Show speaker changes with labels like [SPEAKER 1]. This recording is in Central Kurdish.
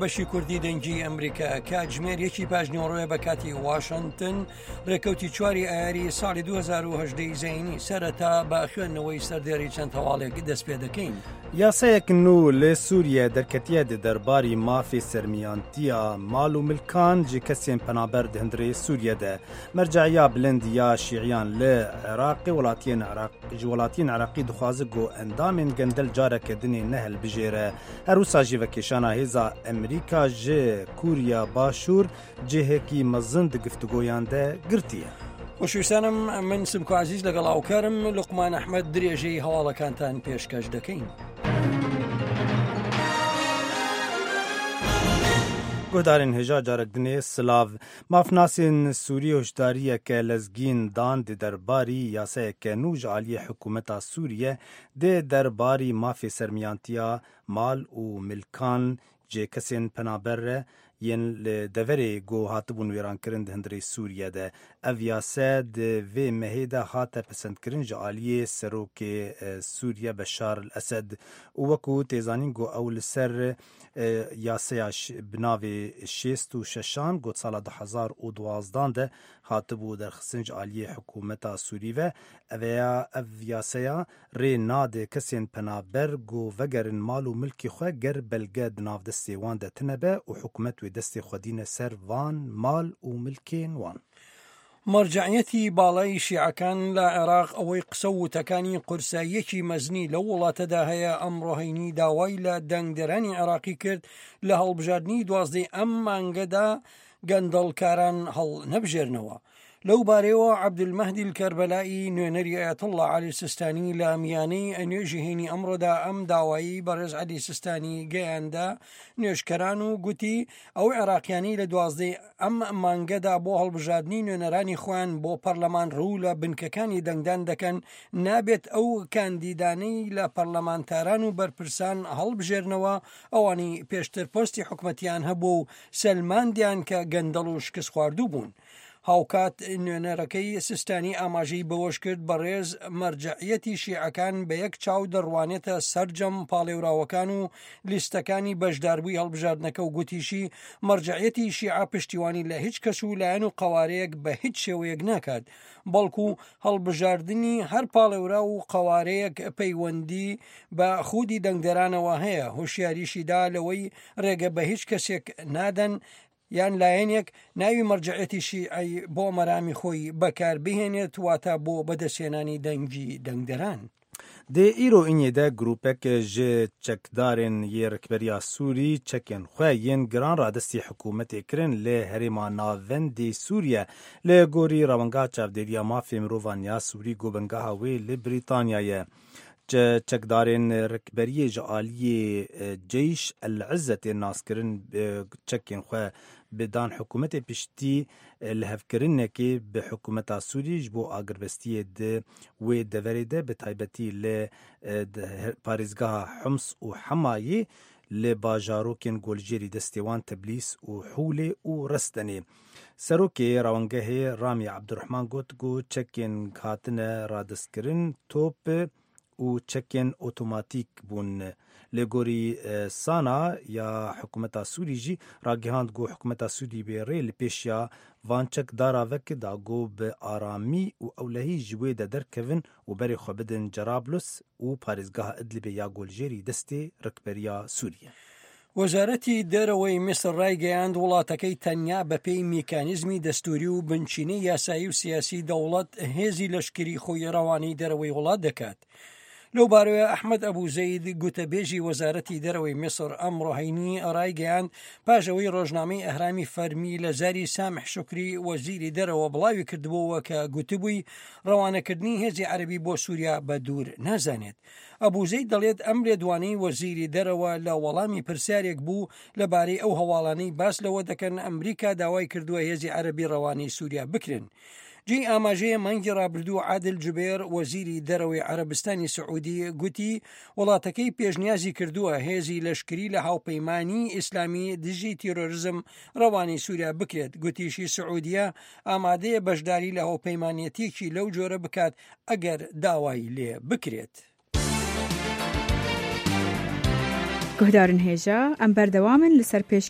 [SPEAKER 1] بەشی کوردی دەنگی ئەمریکا کاتژمێر یەکی پاش نیوەڕۆیە بە کاتی واشنگتن ڕێکەوتی چواری ئایاری ساڵی 2010 زەینی سەرەتا بە خوێندنەوەی سەردێری چەند هەواڵێک دەست پێ دەکەین.
[SPEAKER 2] یاسایەک نوو لە سوریە دەرکەتیە di derbarî mafê sermiyantiya mal û milkan ji kesên penaber di hundirê Sûriye de. Merceya bilind ya Şîiyan li Iraqê welatiyên Iraq ji welatiyên Iraqî dixwaze ku endamên gendel careke dinê nehilbijêre. Her wisa jî vekêşana hêza Amerîka ji Kûriya Başûr cihekî mezin di giftugoyan de girtiye.
[SPEAKER 1] خۆشویستانم من سمکۆ عزیز لەگەڵ هاوکارم لوقمان ئەحمەد درێژەی هەواڵەکانتان پێشکەش دەکەین.
[SPEAKER 2] Guhdarên hêja carek dinê silav. Mafnasên Sûrî hişdariyeke lezgîn dan di derbarî yasayeke nû ji aliyê hikûmeta Sûriye di derbarî mafê sermiyantiya mal û milkan ji kesên penaber re yên li deverê ku hatibûn wêrankirin di hundirê Sûriye de. Ev yase di vê mehê de hate pesendkirin ji aliyê Serokê Sûriye Beşar el Esed û wekû tê zanîn ku ew li ser yaseya bi navê 66an got sala 2012 de hatibû derxistin ji aliyê hikûmeta Sûrî ve. Ev ev yaseya Rê nade kesên penaber ku vegerin mal û milkê xwe ger belge di nav destê wan de tune be û hikûmet wê destê xwe dîne ser van mal û milkên wan.
[SPEAKER 1] مەرجەعیەتی باڵای شیعەکان لە عێراق ئەوەی قسە و وتەکانی قورساییەکی مەزنی لەو وڵاتەدا هەیە، ئەمڕۆ هەینی داوای لە دەنگدەرانی عێراقی کرد لە هەڵبژاردنی دوازدەی ئەم مانگەدا گەندەڵکاران هەڵنەبژێرنەوە. لەو بارەیەوە عەبدولمەهدی الکەربەلائی نوێنەری ئایەتوڵڵا عەلی سیستانی لە میانەی نوێژی هەینی ئەمڕۆدا ئەم داوایەی بەڕێز عەلی سیستانی گەیاندە نوێژکەران و گوتی ئەو عێراقیانەی لە دوازدەی ئەم مانگەدا بۆ هەڵبژاردنی نوێنەرانی خۆیان بۆ پەرلەمان ڕوو لە بنکەکانی دەنگدان دەکەن نابێت ئەو کاندیدانەی لە پەرلەمانتاران و بەرپرسان هەڵبژێرنەوە ئەوانەی پێشتر پۆستی حکومەتیان هەبوو و سەلماندیان کە گەندەڵ و شکستخواردوو بوون. هاوکات نوێنەرەکەی سیستانی ئاماژەی بەوەشکرد، بەڕێز مەرجەعیەتی شیعەکان بە یەک چاو دەڕوانێتە سەرجەم پاڵێوراوەکان و لیستەکانی بەشداربووی هەڵبژاردنەکە و گوتیشی، مەرجەعیەتی شیعە پشتیوانی لە هیچ کەس و لایەن و قەوارەیەک بە هیچ شێوەیەک ناکات، بەڵکو هەڵبژاردنی هەر پاڵێوراو و قەوارەیەک پەیوەندی بە خودی دەنگدەرانەوە هەیە، هۆشیاریشی دا لەوەی ڕێگە بە هیچ کەسێک نادەن یان لایەنێک ناوی مەرجەعیەتی شیعەی بۆ مەرامی خۆی بەکار بهێنێت واتە بۆ بەدەستهێنانی دەنگی دەنگدەران.
[SPEAKER 2] Di îro înê de grûpek ji çekdarên yê rikberiya Sûrî çekên xwe yên giran radestî hikûmetê kirin li herêma navendê Sûriye li gorî Rewangeha Çavdêriya Mafê Mirovan ya Sûrî ku bingeha wê li Brîtanya ye. Çekdarên rikberiyê ji aliyê Ceyş El Izze tên naskirin çekên xwe bi dan hikûmetê piştî lihevkirinekê bi hikûmeta Sûrî ji bo agirbestiyê di wê deverê de bi taybetî li parêzgeha Hums û Hemayê li bajarokên Goljêrî destê wan Teblîs û Hûlê û Restenê. Serokê Rawangehê Ramî Ebdurehman got ku çekên hatine radestkirin top û çekên otomatîk bûn. Li gorî SANA ya hikûmeta Sûrî jî ragihand ku hikûmeta Sûrî bê rê li pêşiya van çekdara veke da ku bi aramî û ewlehî ji wê de derkevin û berê xwe bidin Cerablus û parêzgeha Idlibê ya Goljêrî destê rikberiya Sûrî ye.
[SPEAKER 1] وەزارەتی دەرەوەی میسر ڕایگەیاند، وڵاتەکەی تەنیا بەپێی میکانیزمی دەستووری و بنچینەی یاسایی و سیاسی دەوڵەت هێزی لەشکری خۆی ڕەوانەی دەرەوەی وڵات دەکات. لەو بارەیە ئەحمەد ئەبوو زەید گوتەبێژی وەزارەتی دەرەوەی میسر ئەمڕۆ هەینی ڕایگەیاند پاش ئەوەی ڕۆژنامەی ئەهرامی فەرمی لە زاری سامح شوکری وەزیری دەرەوە بڵاوی کردبووەوە کە گوتبووی ڕەوانەکردنی هێزی عەرەبی بۆ سووریا بە دوور نازانێت. ئەبوزەید دەڵێت ئەم لێدوانەی وەزیری دەرەوە لە وەڵامی پرسیارێک بوو لەبارەی ئەو هەواڵانەی باس لەوە دەکەن ئەمریکا داوای کردووە هێزی عەرەبی ڕەوانەی سووریا بکرێن. جێی ئاماژەیە مانگی ڕابردوو عادل جوبێر وەزیری دەرەوەی عەرەبستانی سعودی گوتی وڵاتەکەی پێشنیازی کردووە هێزی لەشکری لە هاوپەیمانیی ئیسلامی دژی تیرۆرزم ڕەوانەی سووریا بکرێت، گوتیشی سعودیە ئامادەیە بەشداری لە هاوپەیمانێتییەکی لەو جۆرە بکات ئەگەر داوای لێ بکرێت.
[SPEAKER 3] Guhdarên hêja, em berdewam in li ser pêşkêşkirina.